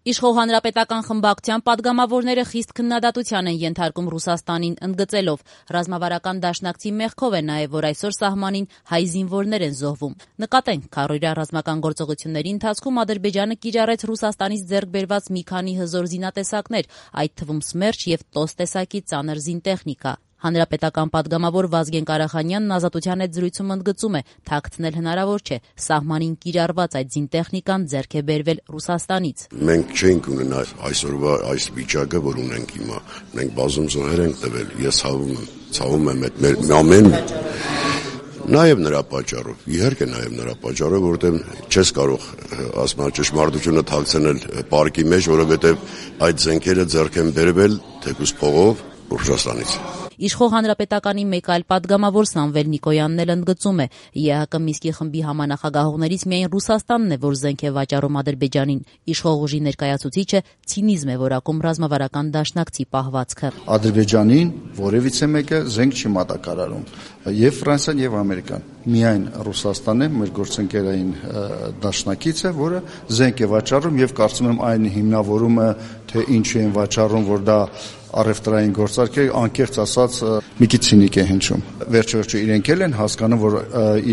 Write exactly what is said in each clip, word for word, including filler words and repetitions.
Իշխող հանրապետական խմբակցության պատգամավորները խիստ քննադատության են ենթարկում Ռուսաստանին, ընդգծելով ռազմավարական դաշնակցի մեղքով է նաև, որ այսօր սահմանին հայ զինվորներ են զոհվում։ Նկատենք, քառօրյա ռազմական գործողությունների ընթացքում Ադրբեջանը կիրառեց Ռուսաստանից ձեռք բերված մի քանի հզոր զինատեսակներ, այդ թվում Սմերչ և Տոս տեսակի ծանր զինտեխնիկա։ Հանրապետական պատգամավոր Վազգեն Կարախանյանն Ազատության հետ զրույցում ընդգծում է, թաքցնել հնարավոր չէ, սահմանին կիրառված այդ զինտեխնիկան ձեռք է բերվել Ռուսաստանից։ Մենք չենք ունենա այսօրվա այս վիճակը, որ ունենք հիմա։ Մենք բազում զոհեր ենք տվել, ես ցավում եմ, ցավում եմ այդ մեր ամեն Նաև նրա պատճառով, իհարկե նաև նրա պատճառով, որովհետև չես կարող ասма ճշմարտությունը թաքցնել պարկի մեջ, որովհետև այդ զենքերը ձեռք են բերվել թեկուզ փողով Ռուսաստանից։ Իշխող հանրապետականի մեկ այլ պատգամավոր Սամվել Նիկոյանն էլ ընդգծում է, ԵԱՀԿ Մինսկի խմբի համանախագահողներից միայն Ռուսաստանն է, որ զենք է վաճառում Ադրբեջանին։ Իշխող ուժի ներկայացուցիչը ցինիզմ է որակում ռազմավարական դաշնակցի պահվածքը։ Ադրբեջանին որևիցե մեկը զենք չի մատակարարում, եւ Ֆրանսիան եւ Ամերիկան։ Միայն Ռուսաստանն է մեր գործընկերային դաշնակիցը, որը զենք է վաճառում եւ կարծում եմ այն հիմնավորումը, թե ինչու են վաճառում, որ դա առևտրային գործարք է, անկեղծ ասած մի քիչ ցինիկ է հնչում։ Վերջ-վերջո իրենք էլ են հասկանում, որ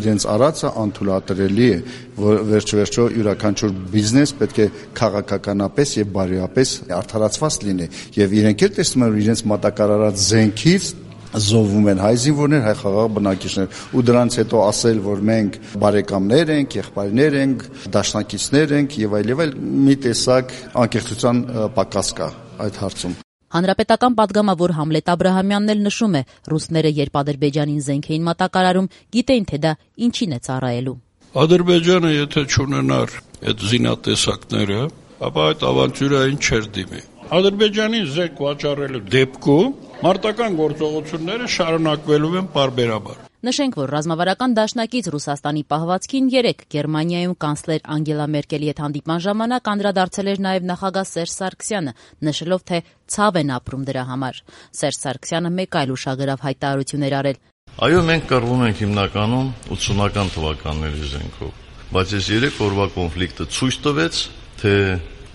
իրենց արածը անթույլատրելի է, որ վերջ-վերջո յուրաքանչյուր բիզնես պետք է քաղաքականապես եւ բարոյապես արդարացված լինի, եւ իրենք էլ տեսնում են, որ իրենց մատակարարած զենքից զոհվում են հայ զինվորներ, հայ խաղաղ բնակիչներ, ու դրանից հետո ասել, որ մենք բարեկամներ ենք, եղբայրներ ենք, դաշնակիցներ ենք եւ այլ եւ այլ, մի տեսակ անկեղծության պակաս կա այդ հարցում։ Հանրապետական պատգամավոր Համլետ Աբրահամյանն էլ նշում է, ռուսները երբ Ադրբեջանին զենք էին մատակարարում, գիտեին, թե դա ինչին է ծառայելու։ Ադրբեջանը եթե չունենար այդ զինատեսակները, ապա այդ ավանտյուրային չէր դիմի։ Ադրբեջանին զենք վաճառելու դեպքում մարտական գործողությունները շարունակվելու են պարբերաբար։ Նշենք, որ ռազմավարական դաշնակից Ռուսաստանի պահվածքին երեկ Գերմանիայում կանցլեր Անգելա Մերկելի հետ հանդիպման ժամանակ անդրադարձել էր նաև նախագահ Սերժ Սարգսյանը, նշելով, թե ցավ են ապրում դրա համար։ Սերժ Սարգսյանը մեկ այլ ուշագրավ հայտարարություն էր արել։ Այո, մենք կռվում ենք հիմնականում ութսունական թվականների զենքով, բայց այս երեք օրվա կոնֆլիկտը ցույց տվեց, թե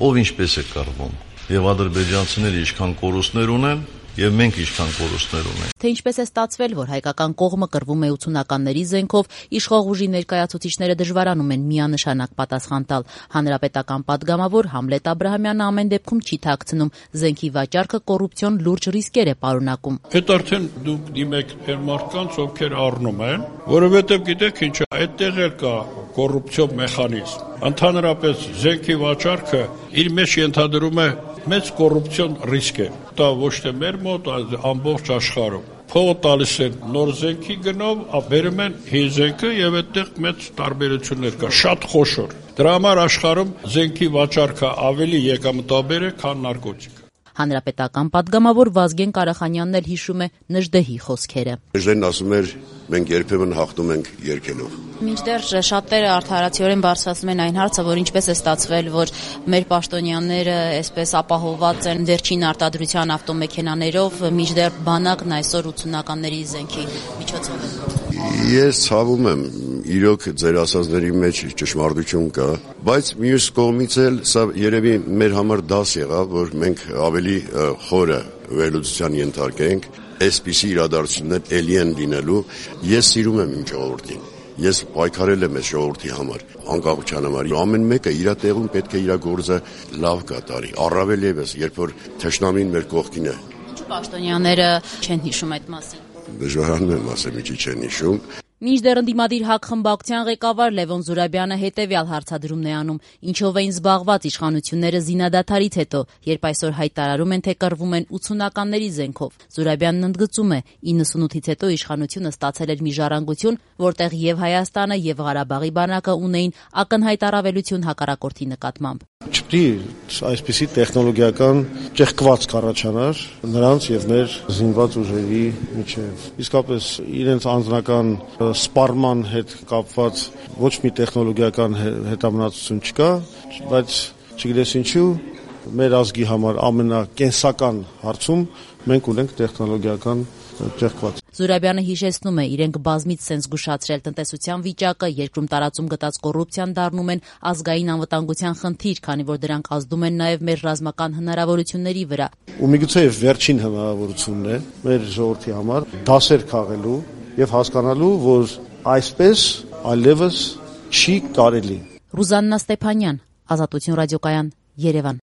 ով ինչպես է կռվում, եւ ադրբեջանցիները ինչքան կորուստներ ունեն, եւ մենք ինչքան կորուստներ ունենք։ Թե ինչպես է ստացվել, որ հայկական կողմը կռվում է ութսունականների զենքով, իշխող ուժի ներկայացուցիչները դժվարանում են միանշանակ պատասխան տալ։ Հանրապետական պատգամավոր Համլետ Աբրահամյանը ամեն դեպքում չի թաքցնում, զենքի վաճառքը կոռուպցիոն լուրջ ռիսկեր է պարունակում։ Այդ արդեն դուք դիմեք մեր մարդկանց, ովքեր առնում են, որովհետեւ գիտեք ինչ, այդտեղ էլ կա կոռուպցիոն մեխանիզմ։ Ընդհանրապես զենքի վաճառքը իր մեջ ենթադրում է մեծ կոռուպցիոն ռիսկ է։ Դա ոչ թե մեր մոտ, այլ ամբողջ աշխարհում։ Փողը տալիս են նոր զենքի գնով, բերում են հին զենքը եւ այդտեղ մեծ տարբերություններ կա, շատ խոշոր։ Դրա համար աշխարհում զենքի վաճառքը ավելի եկամտաբեր է, քան նարկոտիկ։ Հանրապետական պատգամավոր Վազգեն Կարախանյանն էլ հիշում է Նժդեհի խոսքերը։ Նժդեն ասում էր, մենք երբեմն հաղթում ենք երգելով։ Մինչդեռ շատերը արդարացիորեն բարձրացնում են այն հարցը, որ ինչպես է ստացվել, որ մեր պաշտոնյաները այսպես ապահովված են վերջին արտադրության ավտոմեքենաներով, մինչդեռ բանակն այսօր ութսունականների զենքի միջոցով է։ Ես ցավում եմ, իրոք ձեր ասածների մեջ ճշմարտություն կա, բայց մյուս կողմից էլ սա երևի մեր համար դաս եղավ, որ մենք ավելի խորը վերլուծության ենթարկենք, այսպիսի իրադարձություններ էլի են լինելու։ Ես սիրում եմ իմ ժողովրդին։ Ես պայքարել եմ այս ժողովրդի համար, անկախության համար։ Ամեն մեկը իր տեղում պետք է իր գործը լավ կատարի։ Առավել ևս, երբ որ թշնամին մեր կողքին է։ Պաշտոնյաները չեն հիշում այդ մասին։ Դժվարանում եմ ասեմ, ինչի չեն հիշում։ Մինչդեռ ընդդիմադիր ՀԱԿ խմբակցության ղեկավար Լևոն Զուրաբյանը հետևյալ հարցադրումն է անում. ինչով էին զբաղված իշխանությունները զինադադարից հետո, երբ այսօր հայտարարում են, թե կռվում են ութսունականների զենքով։ Զուրաբյանն ընդգծում է, իննսունութից հետո իշխանությունը ստացել էր մի ժառանգություն, որտեղ եւ Հայաստանը եւ Ղարաբաղի բանակը ունեին ակնհայտ առավելություն հակառակորդի նկատմամբ։ Չպետք է այսպիսի տեխնոլոգիական ճեղքվածք առաջանար նրանց եւ մեր զինված ուժերի միջեւ։ Իսկապես իրենց անձնական սպառման հետ կապված ոչ մի տեխնոլոգիական հետամնացություն չկա, բայց չգիտես ինչու մեր ազգի համար ամենակենսական հարցում մենք ունենք տեխնոլոգիական ճեղքված։ Զուրաբյանը հիշեցնում է, իրենք բազմից սենց զգուշացրել տնտեսության վիճակը, երկրում տարածում գտած կոռուպցիան դառնում են ազգային անվտանգության խնդիր, քանի որ դրանք ազդում են նաև մեր ռազմական հնարավորությունների վրա։ Ու միգուցե վերջին հնարավորությունն է մեր ժողովրդի համար դասեր քաղելու եւ հասկանալու, որ այսպես այլևս չի կարելի։ Ռուզաննա Ստեփանյան, Ազատություն ռադիոկայան, Երևան։